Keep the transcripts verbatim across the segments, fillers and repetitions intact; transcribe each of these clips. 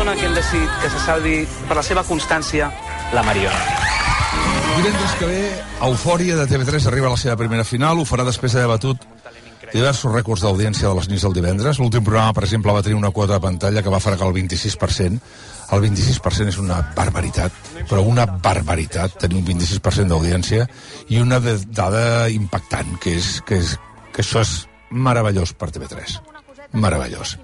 persona que hem decidit que se salvi per la seva constància, la Mariona. Divendres que ve, Eufòria de T V tres arriba a la seva primera final, ho farà després d'haver batut diversos rècords d'audiència de les nits del divendres. L'últim programa, per exemple, va tenir una quota de pantalla que va fregar el vint-i-sis per cent. El vint-i-sis per cent és una barbaritat, però una barbaritat, tenir un vint-i-sis per cent d'audiència, i una dada impactant, que és que, és, que això és meravellós per T V tres. Meravellós.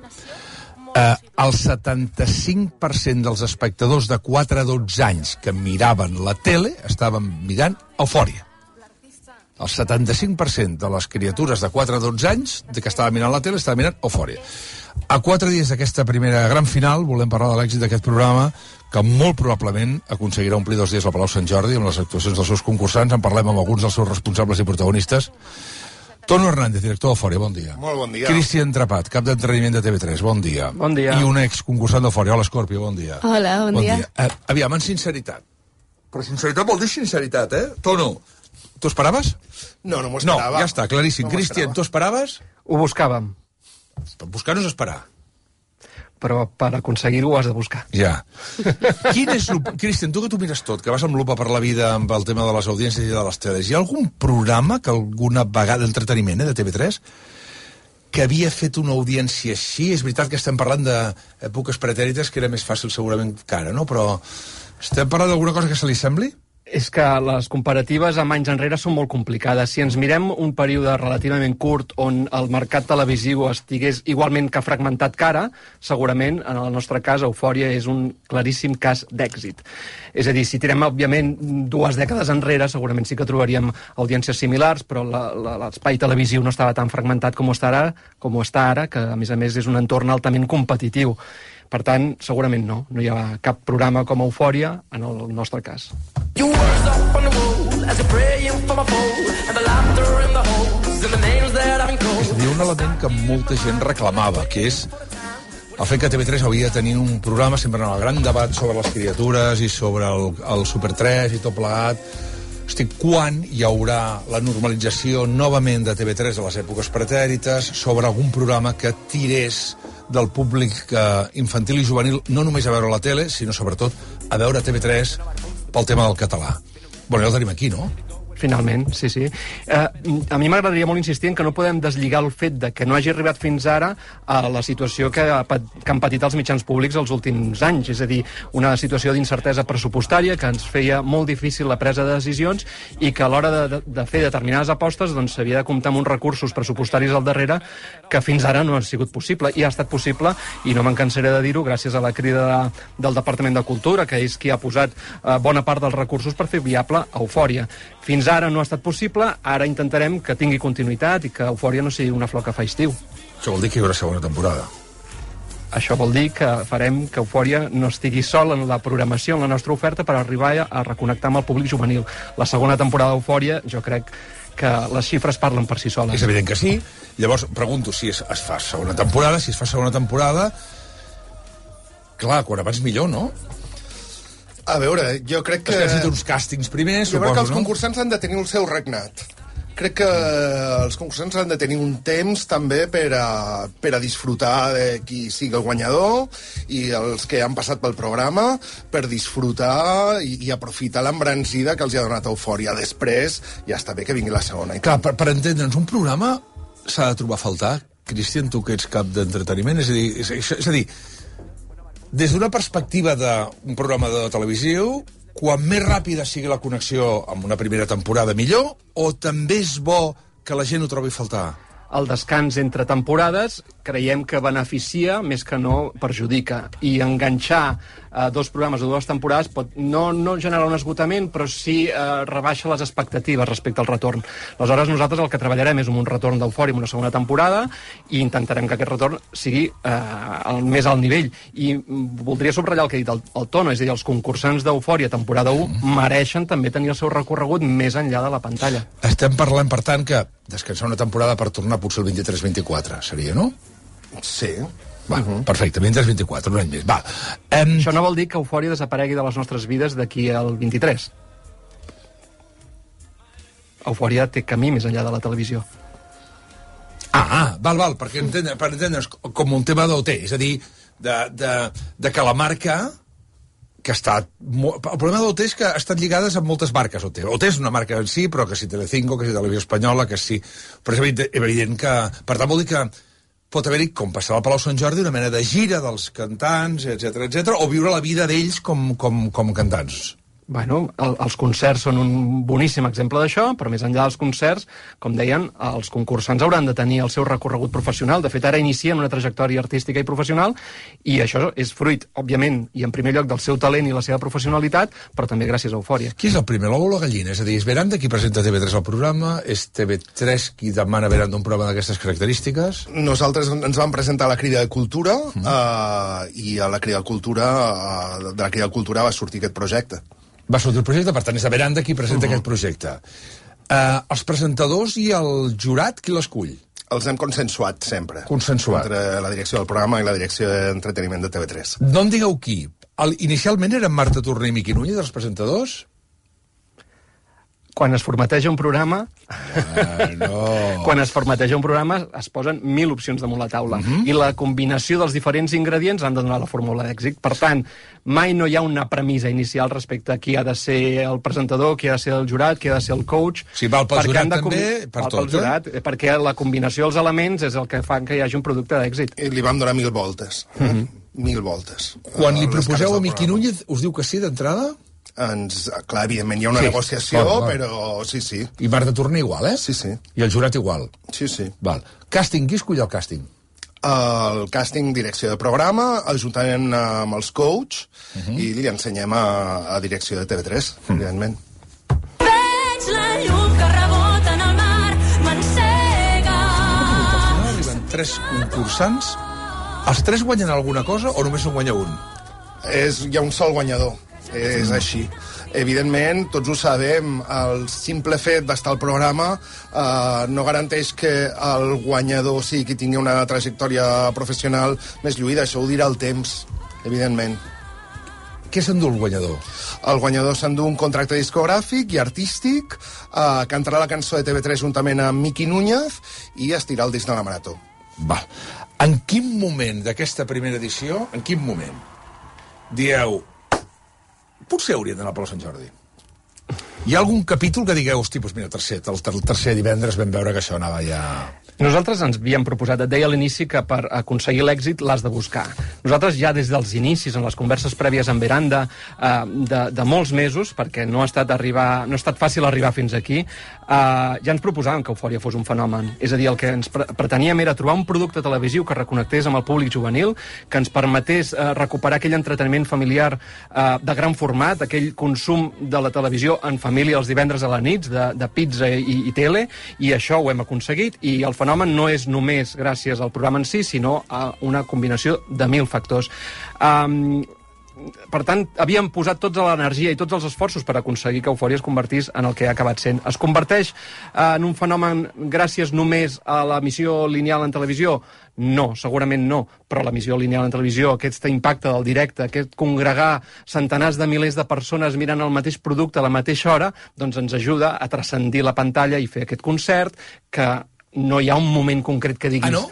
Eh, el setanta-cinc per cent dels espectadors de quatre a dotze anys que miraven la tele estaven mirant Eufòria. El setanta-cinc per cent de les criatures de quatre a dotze anys que estaven mirant la tele estaven mirant Eufòria. A quatre dies d'aquesta primera gran final volem parlar de l'èxit d'aquest programa, que molt probablement aconseguirà omplir dos dies al Palau Sant Jordi amb les actuacions dels seus concursants. En parlem amb alguns dels seus responsables i protagonistes. Tono Hernández, director d'Eufòria, bon dia. Molt bon dia. Cristian Trapat, cap d'entreniment de T V tres, bon dia. Bon dia. I un exconcursant d'Eufòria. Hola, Escorpio, bon dia. Hola, bon, bon dia. dia. Uh, aviam, en sinceritat. Però sinceritat vol dir sinceritat, eh? Tono, tu esperaves? No, no m'ho esperava. No, ja està, claríssim. No Cristian, tu esperaves? Ho buscàvem. Buscar no és esperar. Però per aconseguir-ho ho has de buscar. Ja. Quin és... Cristian, tu que tu mires tot, que vas amb lupa per la vida amb el tema de les audiències i de les teles, hi ha algun programa que alguna vegada d'entreteniment, eh, de T V tres, que havia fet una audiència així? És veritat que estem parlant d'èpoques pretèrites, que era més fàcil segurament que ara, no? Però estem parlant d'alguna cosa que se li sembli? És que les comparatives amb anys enrere són molt complicades. Si ens mirem un període relativament curt on el mercat televisiu estigués igualment que fragmentat que ara, segurament, en el nostre cas, Eufòria és un claríssim cas d'èxit. És a dir, si tirem, òbviament, dues dècades enrere, segurament sí que trobaríem audiències similars, però l'espai televisiu no estava tan fragmentat com està ara, com està ara, que, a més a més, és un entorn altament competitiu. Per tant, segurament no. No hi ha cap programa com Eufòria en el nostre cas. És a dir, un element que molta gent reclamava, que és el fet que T V tres havia de tenir un programa sempre en el gran debat sobre les criatures i sobre el, el Super tres i tot plegat. Estic, quan hi haurà la normalització novament de T V tres a les èpoques pretèrites sobre algun programa que tirés del públic eh, infantil i juvenil no només a veure la tele, sinó sobretot a veure T V tres pel tema del català. Bueno, ja el tenim aquí, no? Finalment, sí, sí. Eh, a mi m'agradaria molt insistir en que no podem deslligar el fet de que no hagi arribat fins ara a la situació que, ha, que han patit els mitjans públics els últims anys, és a dir, una situació d'incertesa pressupostària que ens feia molt difícil la presa de decisions i que a l'hora de, de, de fer determinades apostes doncs s'havia de comptar amb uns recursos pressupostaris al darrere que fins ara no ha sigut possible, i ha estat possible, i no me'n cansaré de dir-ho, gràcies a la crida de, del Departament de Cultura, que és qui ha posat eh, bona part dels recursos per fer viable Eufòria. Fins ara no ha estat possible, ara intentarem que tingui continuïtat i que Eufòria no sigui una flor que fa estiu. Això vol dir que hi haurà segona temporada. Això vol dir que farem que Eufòria no estigui sol en la programació, en la nostra oferta, per arribar a reconnectar amb el públic juvenil. La segona temporada d'Eufòria, jo crec que les xifres parlen per si soles. És evident que sí. Llavors, pregunto si es, es fa segona temporada, si es fa segona temporada... Clar, quan abans millor, no? A veure, jo crec que... Es necessita uns càstings primers, jo suposo, crec que els no? concursants han de tenir el seu regnat. Crec que els concursants han de tenir un temps també per a, per a disfrutar de qui sigui el guanyador i els que han passat pel programa, per disfrutar i, i aprofitar l'embranzida que els ha donat Eufòria. Després ja està bé que vingui la segona. Clar, per, per entendre'ns, un programa s'ha de trobar a faltar. Cristian, tu que ets cap d'entreteniment, és a dir, és, és, és a dir, des d'una perspectiva d'un programa de televisió, quan més ràpida sigui la connexió amb una primera temporada, millor, o també és bo que la gent ho trobi a faltar? El descans entre temporades creiem que beneficia més que no perjudica. I enganxar eh, dos programes de dues temporades pot no, no generar un esgotament, però sí eh, rebaixa les expectatives respecte al retorn. Aleshores, nosaltres el que treballarem és un retorn d'Eufòria en una segona temporada i intentarem que aquest retorn sigui eh, el més alt nivell. I voldria subratllar el que ha dit el, el Tono, és a dir, els concursants d'Eufòria temporada u mereixen també tenir el seu recorregut més enllà de la pantalla. Estem parlant, per tant, que descansar una temporada per tornar potser el vint-i-tres vint-i-quatre, seria, no? Sí. Va, uh -huh. Perfecte, vint-i-tres vint-i-quatre, un any més. Va. Um... Això no vol dir que Eufòria desaparegui de les nostres vides d'aquí al vint-i-tres. Eufòria té camí més enllà de la televisió. Ah, ah val, val, perquè entendre, per entendre's com un tema d'O T, és a dir, de, de, de que la marca que ha estat... El problema d'O T és que ha estat lligades amb moltes marques, O T. O T és una marca en si, però que si Telecinco, que si Televisió Espanyola, que si... Però és evident, evident que... Per tant, vol dir que pot haver-hi, com passava al Palau Sant Jordi, una mena de gira dels cantants, etcètera, etcètera, o viure la vida d'ells com, com, com cantants. Bueno, el, els concerts són un boníssim exemple d'això, però més enllà dels concerts, com deien, els concursants hauran de tenir el seu recorregut professional. De fet, ara inicien una trajectòria artística i professional, i això és fruit, òbviament, i en primer lloc del seu talent i la seva professionalitat, però també gràcies a Eufòria. Qui és el primer, l'ou o la gallina? És a dir, és Veranda qui presenta T V tres al programa? És T V tres qui demana Veranda un programa d'aquestes característiques? Nosaltres ens vam presentar a la Crida de Cultura, mm. uh, i a la Crida de Cultura, uh, de la Crida de Cultura va sortir aquest projecte. Va sortir el projecte, per tant, és a Veranda qui presenta uh-huh. aquest projecte. Uh, els presentadors i el jurat, qui l'escull? Els hem consensuat sempre. Consensuat. Entre la direcció del programa i la direcció d'entreteniment de T V tres. No em digueu qui. El, inicialment eren Marta Torner i Miqui Núñez, els presentadors? Quan es formateja un programa... Ah, no. Quan es formateja un programa es posen mil opcions damunt la taula. Uh-huh. I la combinació dels diferents ingredients han de donar la fórmula d'èxit. Per tant, mai no hi ha una premissa inicial respecte a qui ha de ser el presentador, qui ha de ser el jurat, qui ha de ser el coach. Si val pel jurat també, per val tot, pel jurat, eh? Perquè la combinació dels elements és el que fa que hi hagi un producte d'èxit. I li vam donar mil voltes. Uh-huh. Mil voltes. Quan li proposeu a Miqui Núñez, us diu que sí d'entrada? Ens, clar, evidentment hi ha una sí. negociació, val, val. però sí, sí. I Marta Torner igual, eh? Sí, sí. I el jurat igual? Sí, sí. Val. Càsting, qui escull el càsting? El càsting, direcció de programa, ajuntament amb els coach, uh-huh. i li ensenyem a, a direcció de T V tres, uh-huh. evidentment. Veig la llum que rebota en el mar, m'encega. Arriben tres concursants. Els tres guanyen alguna cosa o només en guanya un? És, hi ha un sol guanyador. És així. Evidentment, tots ho sabem, el simple fet d'estar al programa eh, no garanteix que el guanyador sigui qui tingui una trajectòria professional més lluïda. Això ho dirà el temps, evidentment. Què s'endú el guanyador? El guanyador s'endú un contracte discogràfic i artístic, eh, cantarà la cançó de T V tres juntament amb Miqui Núñez i estirà el disc de la Marató. Va. En quin moment d'aquesta primera edició, en quin moment, dieu... Potser haurien d'anar al Palau Sant Jordi. Hi ha algun capítol que digueu, hosti, doncs mira, tercer, el, el tercer divendres vam veure que això anava ja... Nosaltres ens havíem proposat, et deia a l'inici, que per aconseguir l'èxit l'has de buscar. Nosaltres ja des dels inicis, en les converses prèvies amb Veranda, eh, de, de molts mesos, perquè no ha estat, arribar, no ha estat fàcil arribar fins aquí, eh, ja ens proposàvem que Eufòria fos un fenomen. És a dir, el que ens pre preteníem era trobar un producte televisiu que reconnectés amb el públic juvenil, que ens permetés eh, recuperar aquell entreteniment familiar eh, de gran format, aquell consum de la televisió en família els divendres a la nit, de, de pizza i, i tele, i això ho hem aconseguit, i el fenomen no és només gràcies al programa en si, sinó a una combinació de mil factors. Um, per tant, havíem posat tota l'energia i tots els esforços per aconseguir que Eufòria es convertís en el que ha acabat sent. Es converteix uh, en un fenomen gràcies només a l'emissió lineal en televisió? No, segurament no, però l'emissió lineal en televisió, aquest impacte del directe, aquest congregar centenars de milers de persones mirant el mateix producte a la mateixa hora, doncs ens ajuda a transcendir la pantalla i fer aquest concert que no hi ha un moment concret que diguis... Ah, no?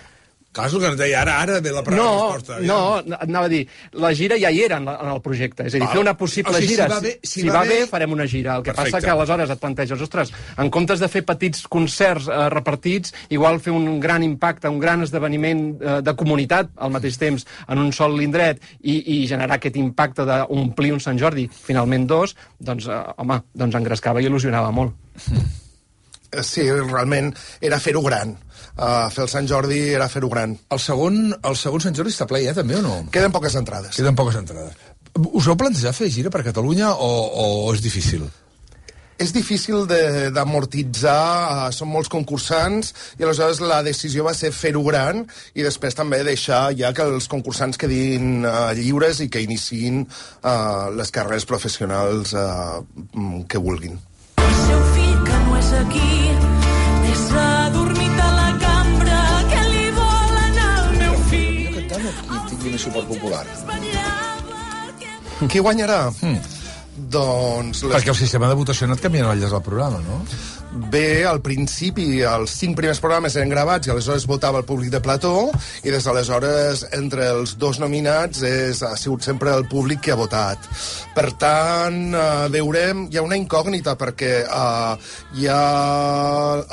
Clar, és el que ens deia, ara, ara ve la no, resposta. No, no, anava a dir, la gira ja hi era en, la, en el projecte, és a dir, Val. fer una possible o sigui, gira, si va bé, si si va va bé, bé, farem una gira. El que perfecte. passa que aleshores et planteges, ostres, en comptes de fer petits concerts eh, repartits, igual fer un gran impacte, un gran esdeveniment eh, de comunitat al mateix temps en un sol indret i, i generar aquest impacte d'omplir un Sant Jordi, finalment dos, doncs, eh, home, doncs engrescava i il·lusionava molt. Sí, realment era fer-ho gran. Uh, fer el Sant Jordi era fer-ho gran. El segon, el segon Sant Jordi està ple ja, també, o no? Queden poques entrades. Queden poques entrades. Us heu plantejat fer gira per Catalunya o, o és difícil? És difícil d'amortitzar, uh, són molts concursants, i aleshores la decisió va ser fer-ho gran i després també deixar ja que els concursants quedin uh, lliures i que iniciïn uh, les carreres professionals uh, que vulguin. El seu fill que no és aquí, més adormit a la cambra, que li vol anar al meu fill. Jo cantant o qui tingui més suport popular? Qui guanyarà? Hmm. Doncs... Les... Perquè el sistema de votació ha anat canviant al llarg del programa, no? bé, al principi, els cinc primers programes eren gravats i aleshores votava el públic de plató, i des d'aleshores, entre els dos nominats, és, ha sigut sempre el públic que ha votat. Per tant, eh, veurem... Hi ha una incògnita, perquè eh, hi ha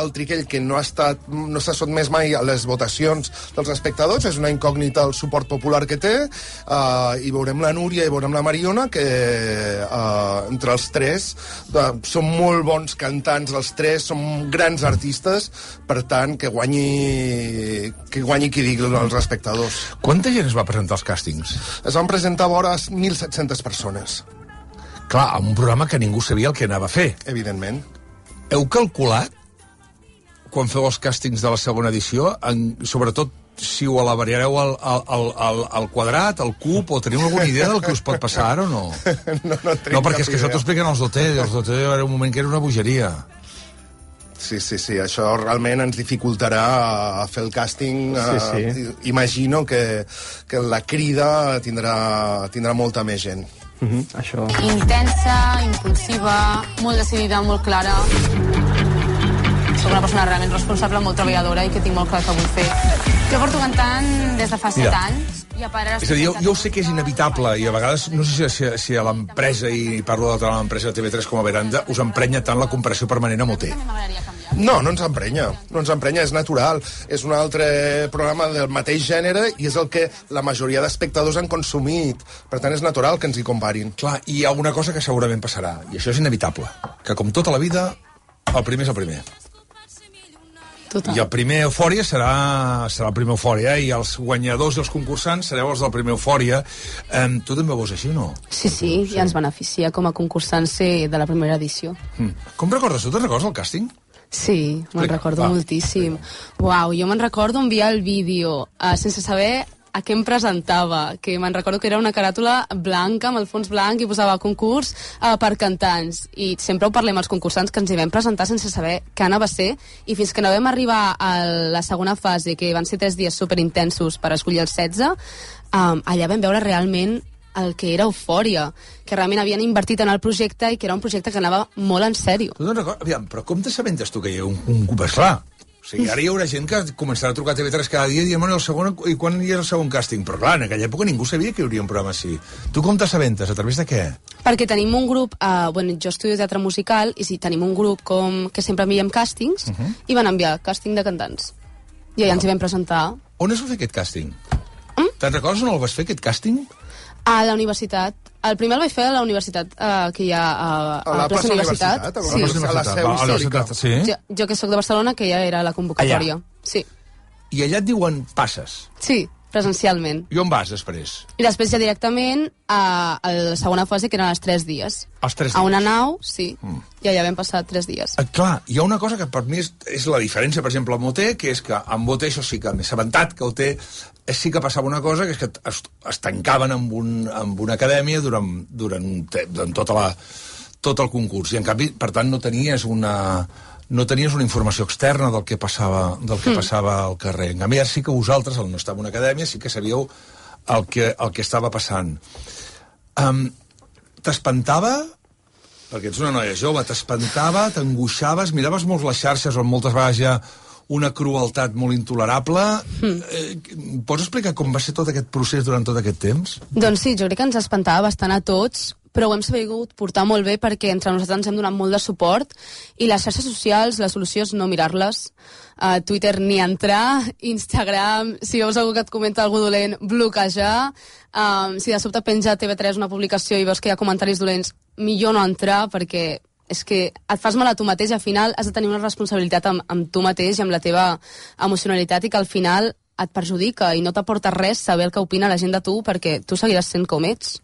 el Triquell, que no ha estat no s'ha sotmès mai a les votacions dels espectadors, és una incògnita el suport popular que té, eh, i veurem la Núria i veurem la Mariona, que eh, entre els tres eh, són molt bons cantants, els tres són grans artistes, per tant, que guanyi que guanyi qui digui els espectadors. Quanta gent es va presentar als càstings? Es van presentar vora mil set-centes persones. Clar, en un programa que ningú sabia el que anava a fer. Evidentment. Heu calculat, quan feu els càstings de la segona edició, en, sobretot si ho alabareu al, al, al, al quadrat, al cub, o teniu alguna idea del que us pot passar ara o no? No, no, no perquè és que això t'ho expliquen els d'O T, els d'O T era un moment que era una bogeria. Sí, sí, sí, això realment ens dificultarà a fer el càsting. Sí, sí. Uh, imagino que, que la crida tindrà, tindrà molta més gent. Uh-huh, això... Intensa, impulsiva, molt decidida, molt clara. Soc una persona realment responsable, molt treballadora i que tinc molt clar que vull fer. Jo porto cantant des de fa set anys. I a part, és a dir, jo, jo sé que és inevitable i a vegades, no sé si, si a l'empresa, i parlo de l'empresa de T V tres com a Veranda, us emprenya tant la comparació permanent amb O T. No, no ens emprenya, no ens emprenya, és natural. És un altre programa del mateix gènere i és el que la majoria d'espectadors han consumit. Per tant, és natural que ens hi comparin. Clar, i hi ha una cosa que segurament passarà, i això és inevitable, que com tota la vida, el primer és el primer. Total. I el primer Eufòria serà, serà el primer Eufòria, eh? I els guanyadors i els concursants sereu els del primer Eufòria. Eh, tu també ho veus així, no? Sí, sí, sí, i ens beneficia com a concursants ser de la primera edició. Mm. Com recordes? Tu te'n recordes el càsting? Sí, me'n recordo va. moltíssim. Uau, jo me'n recordo enviar el vídeo uh, sense saber a què em presentava, que me'n recordo que era una caràtula blanca, amb el fons blanc, i posava concurs uh, per cantants. I sempre ho parlem als concursants, que ens hi vam presentar sense saber què anava a ser, i fins que no vam arribar a la segona fase, que van ser tres dies superintensos per escollir els setze, um, allà vam veure realment el que era Eufòria, que realment havien invertit en el projecte i que era un projecte que anava molt en sèrio. Tu te'n recordes? Aviam, però com t'assabentes tu que hi ha un, un cop? Esclar, o sigui, ara hi haurà gent que començarà a trucar a T V tres cada dia i dir, bueno, el segon, i quan hi ha el segon càsting? Però clar, en aquella època ningú sabia que hi hauria un programa així. Tu com t'assabentes? A través de què? Perquè tenim un grup, uh, bueno, jo estudio teatre musical, i sí, tenim un grup com que sempre enviem càstings, uh -huh. i van enviar càsting de cantants. I allà ens hi vam presentar. On es va fer aquest càsting? Mm? Te'n recordes on el vas fer, aquest càsting? A la universitat. El primer el vaig fer a la universitat, uh, que hi ha a, a, A la plaça Universitat. Universitat, a la Sí. plaça- a la seu Va, a la històrica. universitat, sí. Jo, jo que sóc de Barcelona, que ja era la convocatòria. Allà. Sí, I allà et diuen passes. sí, presencialment. I on vas després? I després ja directament a, a la segona fase, que eren els tres dies. Els tres A dies. una nau, sí, Mm. i allà vam passar tres dies. Eh, clar, hi ha una cosa que per mi és, és la diferència, per exemple, amb O T, que és que amb O T això sí que m'he assabentat, que O T sí que passava una cosa, que és que es, es tancaven amb, un, amb una acadèmia durant, durant, un te, durant tota la, tot el concurs, i en canvi, per tant, no tenies una, no tenies una informació externa del que passava, del que mm. passava al carrer. En canvi, ara sí que vosaltres, al no estar en una acadèmia, sí que sabíeu el que, el que estava passant. Um, T'espantava, perquè ets una noia jove, t'espantava, t'angoixaves, miraves molt les xarxes on moltes vegades hi ha una crueltat molt intolerable. Mm. Eh, pots explicar com va ser tot aquest procés durant tot aquest temps? Doncs sí, jo crec que ens espantava bastant a tots, però ho hem sabut portar molt bé perquè entre nosaltres ens hem donat molt de suport, i les xarxes socials, la solució és no mirar-les. A Twitter ni entrar, Instagram, si veus algú que et comenta algú dolent, bloquejar. Um, si de sobte penja a T V tres una publicació i veus que hi ha comentaris dolents, millor no entrar, perquè és que et fas mal a tu mateix, i al final has de tenir una responsabilitat amb, amb tu mateix i amb la teva emocionalitat, i que al final et perjudica i no t'aporta res saber el que opina la gent de tu, perquè tu seguiràs sent com ets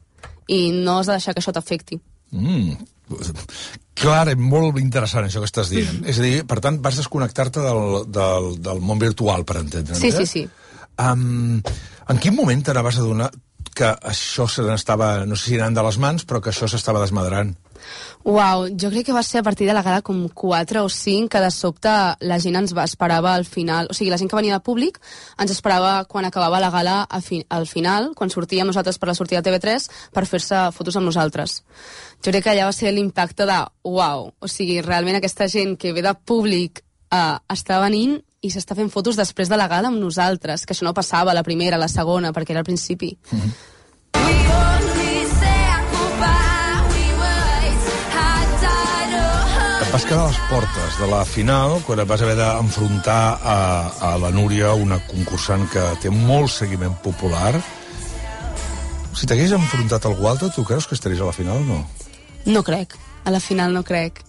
i no has de deixar que això t'afecti. Mm. Clar, molt interessant això que estàs dient. Mm. És a dir, per tant, vas desconnectar-te del, del, del món virtual, per entendre'ns. Sí, sí, sí. Um, en quin moment t'anaves a donar que això se n'estava, no sé si anant de les mans, però que això s'estava desmadrant. Uau, jo crec que va ser a partir de la gala com quatre o cinc que de sobte la gent ens va esperava al final, o sigui, la gent que venia de públic ens esperava quan acabava la gala a fi, al final, quan sortíem nosaltres per la sortida de T V tres per fer-se fotos amb nosaltres. Jo crec que allà va ser l'impacte de uau, o sigui, realment aquesta gent que ve de públic eh, està venint i s'està fent fotos després de la gala amb nosaltres, que això no passava la primera, la segona, perquè era al principi. Mm-hmm. Vas quedar a les portes de la final quan et vas haver d'enfrontar a, a la Núria, una concursant que té molt seguiment popular. Si t'hagués enfrontat a algú altre, tu creus que estaries a la final o no? No crec. A la final no crec.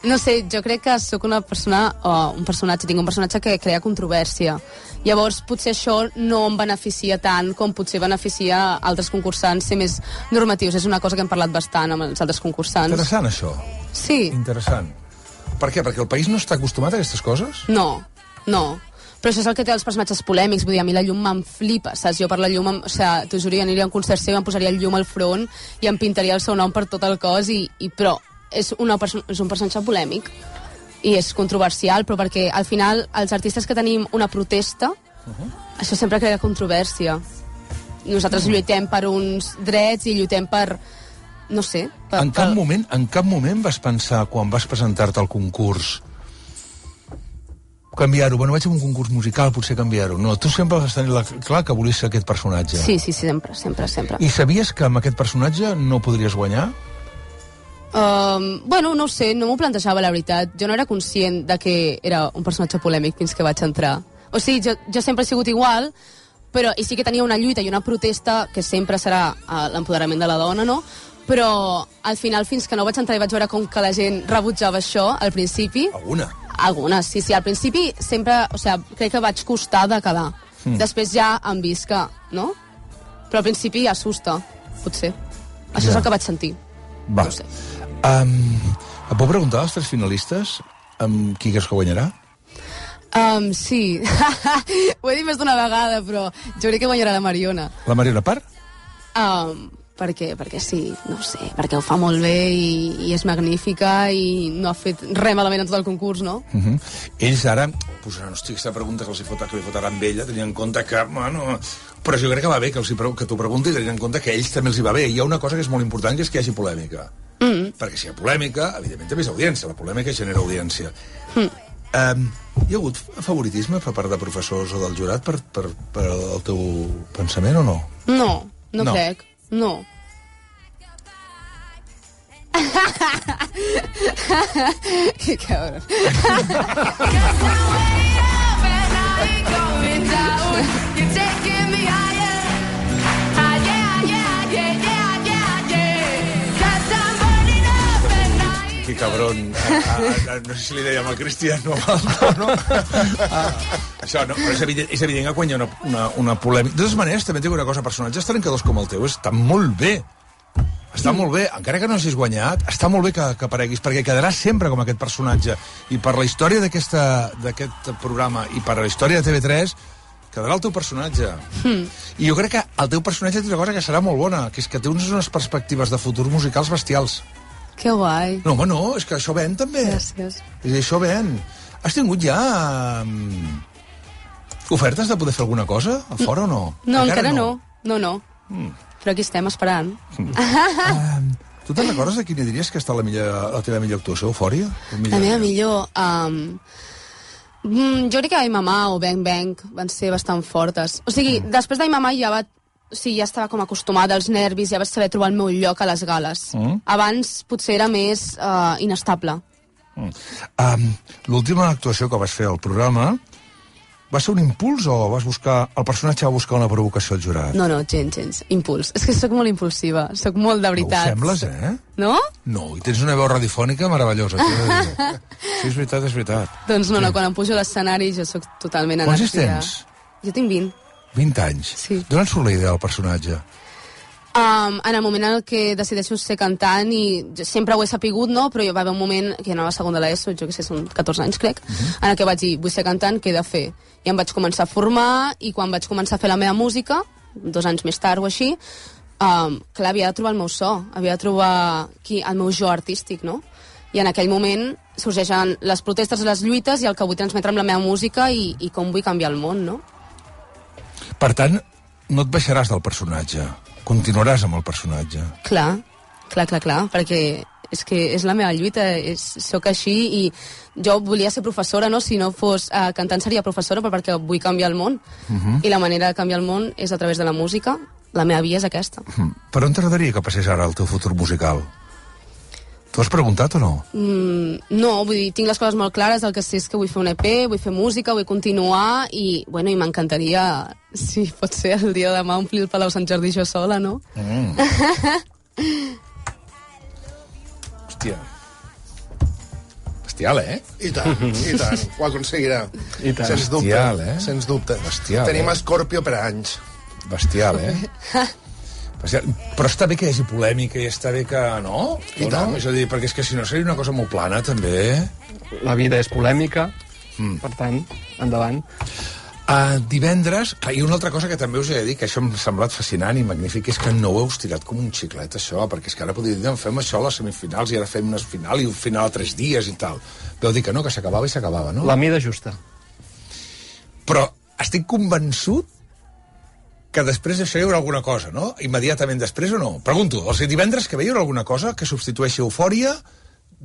No sé, jo crec que sóc una persona, o un personatge, tinc un personatge que crea controvèrsia. Llavors, potser això no em beneficia tant com potser beneficia altres concursants ser més normatius. És una cosa que hem parlat bastant amb els altres concursants. Interessant, això. Sí. Interessant. Per què? Perquè el país no està acostumat a aquestes coses? No, no. Però això és el que té els personatges polèmics. Vull dir, a mi la llum me'n flipa, saps? Jo per la llum, em, o sigui, t'ho juro, jo aniria a un concert seu, em posaria el llum al front i em pintaria el seu nom per tot el cos, i, i però és, una perso- és un personatge polèmic i és controversial, però perquè al final els artistes que tenim una protesta, uh-huh. això sempre crea controvèrsia. Nosaltres uh-huh. lluitem per uns drets i lluitem per... no sé. Per, en, cap per... moment, en cap moment vas pensar, quan vas presentar-te al concurs, canviar-ho? Bueno, vaig a un concurs musical, potser canviar-ho. No, tu sempre vas tenir la... clar que volies ser aquest personatge. Sí, sí, sempre, sempre, sempre. I sabies que amb aquest personatge no podries guanyar? Um, bueno, no ho sé, no m'ho plantejava, la veritat. Jo no era conscient de que era un personatge polèmic fins que vaig entrar. O sigui, jo, jo sempre he sigut igual, però i sí que tenia una lluita i una protesta que sempre serà uh, l'empoderament de la dona, no? Però al final, fins que no vaig entrar i vaig veure com que la gent rebutjava això al principi... Alguna? Algunes, sí, sí. Al principi sempre, o sigui, crec que vaig costar de quedar. Mm. Després ja hem vist que, no? Però al principi assusta, potser. Això ja. És el que vaig sentir. Va. No sé. Um, et puc preguntar als tres finalistes amb qui creus que guanyarà? Um, sí. Ho he dit més d'una vegada, però jo crec que guanyarà la Mariona. La Mariona per? Um, perquè, perquè sí, no sé, perquè ho fa molt bé i, i és magnífica i no ha fet res malament en tot el concurs, no? Uh -huh. Ells ara posaran, hosti, aquesta pregunta que els hi fot, que li fotaran amb ella, tenint en compte que, bueno... Però jo crec que va bé que, els hi, que t'ho pregunti, tenint en compte que a ells també els hi va bé. Hi ha una cosa que és molt important, que és que hi hagi polèmica. Mm. Perquè si hi ha polèmica, evidentment també és audiència. La polèmica genera audiència. Mm. Um, hi ha hagut favoritisme per part de professors o del jurat per, per, per el teu pensament o no? No, no, no. crec. No. Que cabrón. Que cabrón. Ah, ah, no sé si li dèiem al Cristian o al no? Ah, això no, però és evident, és evident que quan hi ha una, una, una polèmica... De totes maneres, també tinc una cosa, personatges trencadors com el teu està molt bé. Està molt bé, encara que no hagis guanyat, està molt bé que, que apareguis, perquè quedaràs sempre com aquest personatge. I per la història d'aquest programa i per la història de T V tres, quedarà el teu personatge. Mm. I jo crec que el teu personatge té una cosa que serà molt bona, que és que té unes perspectives de futur musicals bestials. Que guai. No, home, no, és que això ven, també. Gràcies. És això ven. Has tingut ja um, ofertes de poder fer alguna cosa a fora o no? No, encara, encara no. no. No, no. Mm. Però aquí estem esperant. Mm. um, tu te'n recordes de quina diries que està la, millor, la teva millor actuació, Eufòria? La meva millor... Um, mm, jo crec que Ai Mamà o Bang Bang van ser bastant fortes. O sigui, mm. després d'Ai Mamà ja va... O sigui, ja estava com acostumada als nervis, ja vaig saber trobar el meu lloc a les gales. Mm. Abans potser era més uh, inestable. Mm. Um, L'última actuació que vas fer al programa va ser un impuls o vas buscar... El personatge va buscar una provocació al jurat? No, no, gens, gens. Impuls. És que sóc molt impulsiva. Sóc molt de veritat. No ho sembles, eh? No? No, i tens una veu radiofònica meravellosa. Sí, és veritat, és veritat. Doncs no, sí. no, quan em pujo a l'escenari jo sóc totalment Quants energia. tens? Jo tinc vint. vint anys? Sí. D'on surt la idea del personatge? Um, en el moment en el que decideixo ser cantant, i sempre ho he sapigut, no? Però jo va haver un moment que anava a segon de l'ESO, jo que sé, són catorze anys, crec, uh -huh. en el que vaig dir, vull ser cantant, què he de fer? I em vaig començar a formar, i quan vaig començar a fer la meva música, dos anys més tard o així, um, clar, havia de trobar el meu so, havia de trobar qui, el meu jo artístic, no? I en aquell moment sorgeixen les protestes, les lluites i el que vull transmetre amb la meva música i, i com vull canviar el món, no? Per tant, no et baixaràs del personatge, continuaràs amb el personatge. Clar, clar, clar, clar, perquè és que és la meva lluita, és, soc així i jo volia ser professora, no? Si no fos uh, cantant seria professora, però perquè vull canviar el món. Uh -huh. I la manera de canviar el món és a través de la música. La meva via és aquesta. Uh -huh. Per on t'agradaria que passés ara el teu futur musical? T'ho has preguntat o no? Mm, no, vull dir, tinc les coses molt clares, el que sé és que vull fer un E P, vull fer música, vull continuar i, bueno, i m'encantaria, si pot ser el dia de demà, omplir el Palau Sant Jordi jo sola, no? Mm. Hòstia. Bestial, eh? I tant, i tant. Ho aconseguirà. I tant. Sens dubte. Bestial, eh? Sens dubte. Bestial, Tenim eh? Escorpio per anys. Bestial, eh? Bestial. Però està bé que hi hagi polèmica i està bé que... No? I o tant. no? És a dir, perquè és que si no seria una cosa molt plana, també. La vida és polèmica, Mm. per tant, endavant. Uh, divendres, clar, i una altra cosa que també us he de dir, que això m'ha semblat fascinant i magnífic, és que no ho heu estirat com un xiclet, això, perquè és que ara podria dir, no, fem això a les semifinals i ara fem una final i un final a tres dies i tal. Vau dir que no, que s'acabava i s'acabava, no? La mida justa. Però estic convençut que després d'això hi haurà alguna cosa, no? Immediatament després o no? Pregunto, o sigui, divendres que ve hi haurà alguna cosa que substitueixi Eufòria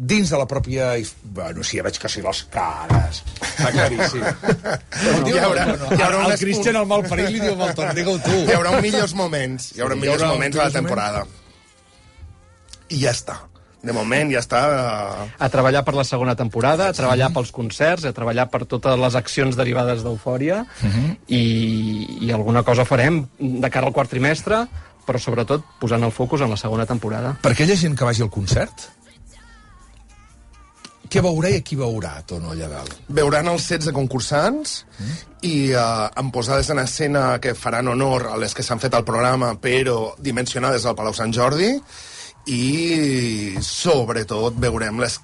dins de la pròpia... Bueno, sí, ja veig que sí, les cares. Està claríssim. No, Hi haurà- no, no. hi haurà El un- Cristian, el malparit, li diu amb el torn, digue-ho tu. Hi haurà un millors moments. Hi haurà Sí, un hi millors haurà moments de la millors temporada. I ja està. De moment ja està... eh, A treballar per la segona temporada, a treballar pels concerts, a treballar per totes les accions derivades d'Eufòria, i, i alguna cosa farem de cara al quart trimestre, però sobretot posant el focus en la segona temporada. Per aquella gent que vagi al concert, què veurà i a qui veurà, Tono, allà dalt? Veuran els setze concursants mm. i uh, amb posades en escena que faran honor a les que s'han fet al programa, però dimensionades al Palau Sant Jordi, i sobretot veurem les,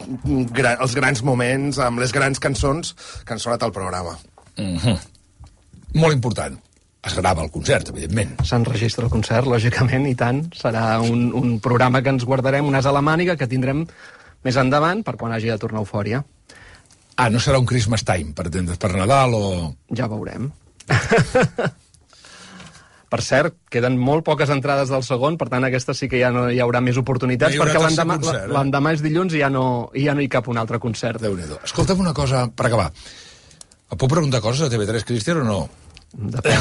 gra, els grans moments amb les grans cançons que han sonat al programa. Mm-hmm. Molt important. Es grava el concert, evidentment. S'enregistra el concert, lògicament, i tant. Serà un, un programa que ens guardarem, un as a la màniga, que tindrem més endavant per quan hagi de tornar Eufòria. Ah, no serà un Christmas Time, per, per Nadal o... Ja veurem. Per cert, queden molt poques entrades del segon, per tant, aquesta sí que ja no hi haurà més oportunitats, No hi haurà perquè tercer l'endemà concert, eh? l'endemà és dilluns i ja no, i ja no hi cap un altre concert. Déu-n'hi-do. Escolta'm una cosa, per acabar. Et puc preguntar coses a T V tres, Cristian, o no? Depèn.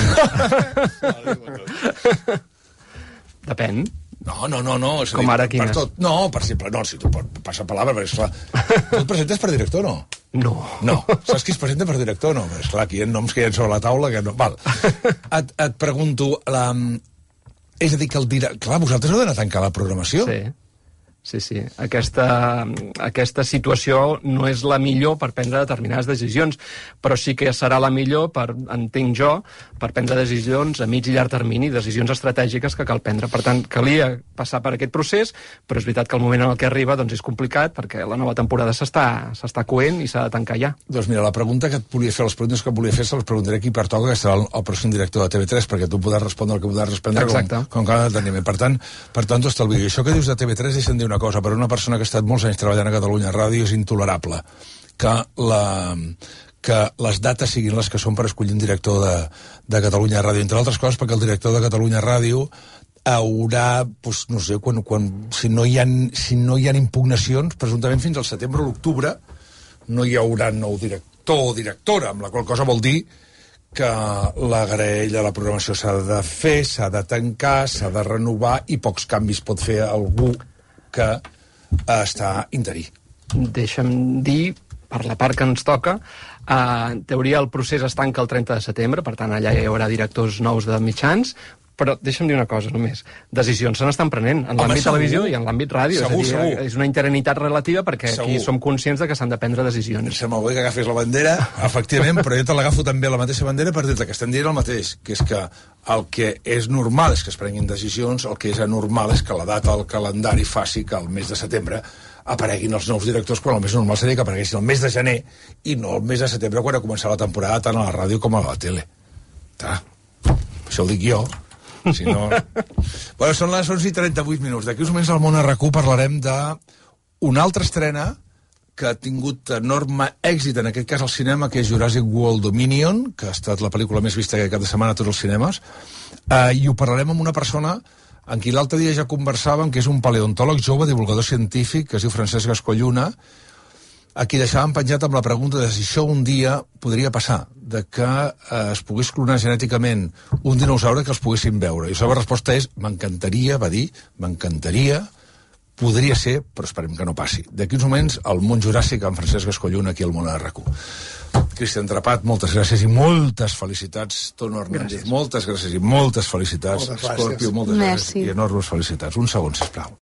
Depèn. No, no, no, no. És a Com dir, ara, per quines? tot. No, per exemple, no, si tu passa palabra, perquè esclar, tu et presentes per director, no? No. No. Saps qui es presenta per director, no? És clar, aquí hi ha noms que hi ha sobre la taula que no... Val. Et, et pregunto, la... és a dir, que el director... Clar, vosaltres heu d'anar a tancar la programació? Sí. Sí, sí. Aquesta, aquesta situació no és la millor per prendre determinades decisions, però sí que serà la millor, per, entenc jo, per prendre decisions a mig i llarg termini, decisions estratègiques que cal prendre. Per tant, calia passar per aquest procés, però és veritat que el moment en el que arriba doncs, és complicat, perquè la nova temporada s'està s'està coent i s'ha de tancar ja. Doncs mira, la pregunta que et volia fer, les preguntes que et volia fer, se les preguntaré aquí per Toca, que serà el, el pròxim director de T V tres, perquè tu podràs respondre el que podràs respondre Exacte. com, com cada deteniment. Per tant, per tant, t'ho estalvio. I això que dius de T V tres, deixa'm dir una cosa, per una persona que ha estat molts anys treballant a Catalunya Ràdio és intolerable que, la, que les dates siguin les que són per escollir un director de, de Catalunya Ràdio, entre altres coses perquè el director de Catalunya Ràdio haurà, doncs, no sé, quan, quan, si, no hi ha, si no hi ha impugnacions, presumptament fins al setembre o l'octubre no hi haurà nou director o directora, amb la qual cosa vol dir que la graella de la programació s'ha de fer, s'ha de tancar, s'ha de renovar i pocs canvis pot fer algú que està interí. Deixa'm dir, per la part que ens toca, eh, en teoria el procés es tanca el trenta de setembre, per tant allà hi haurà directors nous de mitjans, però deixa'm dir una cosa només. Decisions se n'estan prenent en l'àmbit televisió i en l'àmbit ràdio. Segur, és a dir, segur. és una interinitat relativa perquè Segur. aquí som conscients de que s'han de prendre decisions. Em sembla bé que agafis la bandera, efectivament, però jo te l'agafo també la mateixa bandera per dir-te que estem dient el mateix, que és que el que és normal és que es prenguin decisions, el que és anormal és que la data al calendari faci que el mes de setembre apareguin els nous directors, quan el més normal seria que apareguessin el mes de gener i no el mes de setembre quan ha començat la temporada tant a la ràdio com a la tele. Ta. Això ho dic jo. Si no... Bueno, són les onze i trenta-vuit minuts. D'aquí uns moments al Món R Q parlarem d'una altra estrena que ha tingut enorme èxit, en aquest cas al cinema, que és Jurassic World Dominion, que ha estat la pel·lícula més vista aquest cap de setmana a tots els cinemes, uh, i ho parlarem amb una persona en qui l'altre dia ja conversàvem, que és un paleontòleg jove, divulgador científic, que es diu Francesc Gascolluna, a qui deixàvem penjat amb la pregunta de si això un dia podria passar, de que eh, es pogués clonar genèticament un dinosaure que els poguessin veure. I la seva resposta és, m'encantaria, va dir, m'encantaria, podria ser, però esperem que no passi. D'aquí uns moments, al Món Juràssic, amb Francesc Gascolluna, aquí al Món R Q. Cristian Trepat, moltes gràcies i moltes felicitats. Tono Hernández, gràcies. moltes gràcies i moltes felicitats. Moltes Scorpio, moltes Merci. gràcies i enormes felicitats. Un segon, sisplau.